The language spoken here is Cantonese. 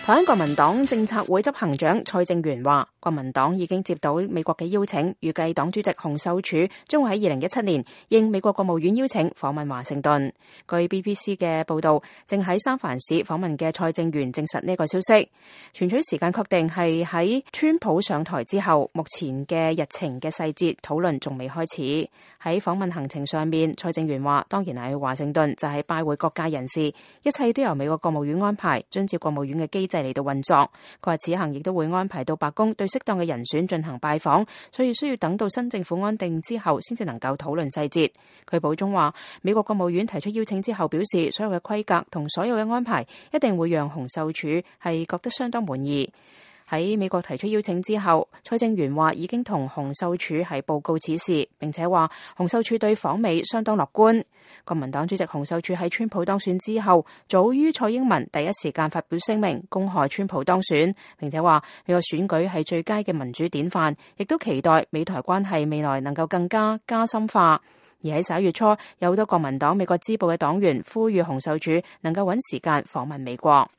台灣國民黨政策會執行長蔡正元話，國民黨已經接到美國嘅邀請，預計黨主席洪秀柱將會喺2017年應美國國務院邀請訪問華盛頓。據 BBC 嘅報道，正喺三藩市訪問嘅蔡正元證實呢個消息。選取時間確定係喺川普上台之後，目前嘅日程嘅細節討論仲未開始。喺訪問行程上面，蔡正元話，當然係去華盛頓就係拜會各界人士，一切都由美國國務院安排，遵照國務院嘅機制嚟到運作。佢話此行亦都會安排到白宮對適當嘅人選進行拜訪，所以需要等到新政府安定之後先至能夠討論細節。佢補充話，美國國務院提出邀請之後表示，所有嘅規格同所有嘅安排一定會讓洪秀柱係覺得相當滿意。喺美國提出邀請之後，蔡正元話已經同洪秀柱係報告此事，並且話洪秀柱對訪美相當樂觀。國民黨主席洪秀柱喺川普當選之後，早於蔡英文第一時間發表聲明，恭賀川普當選，並且話美國選舉係最佳嘅民主典範，亦都期待美台關係未來能夠更加深化。而喺11月初，有好多國民黨美國支部嘅黨員呼籲洪秀柱能夠揾時間訪問美國。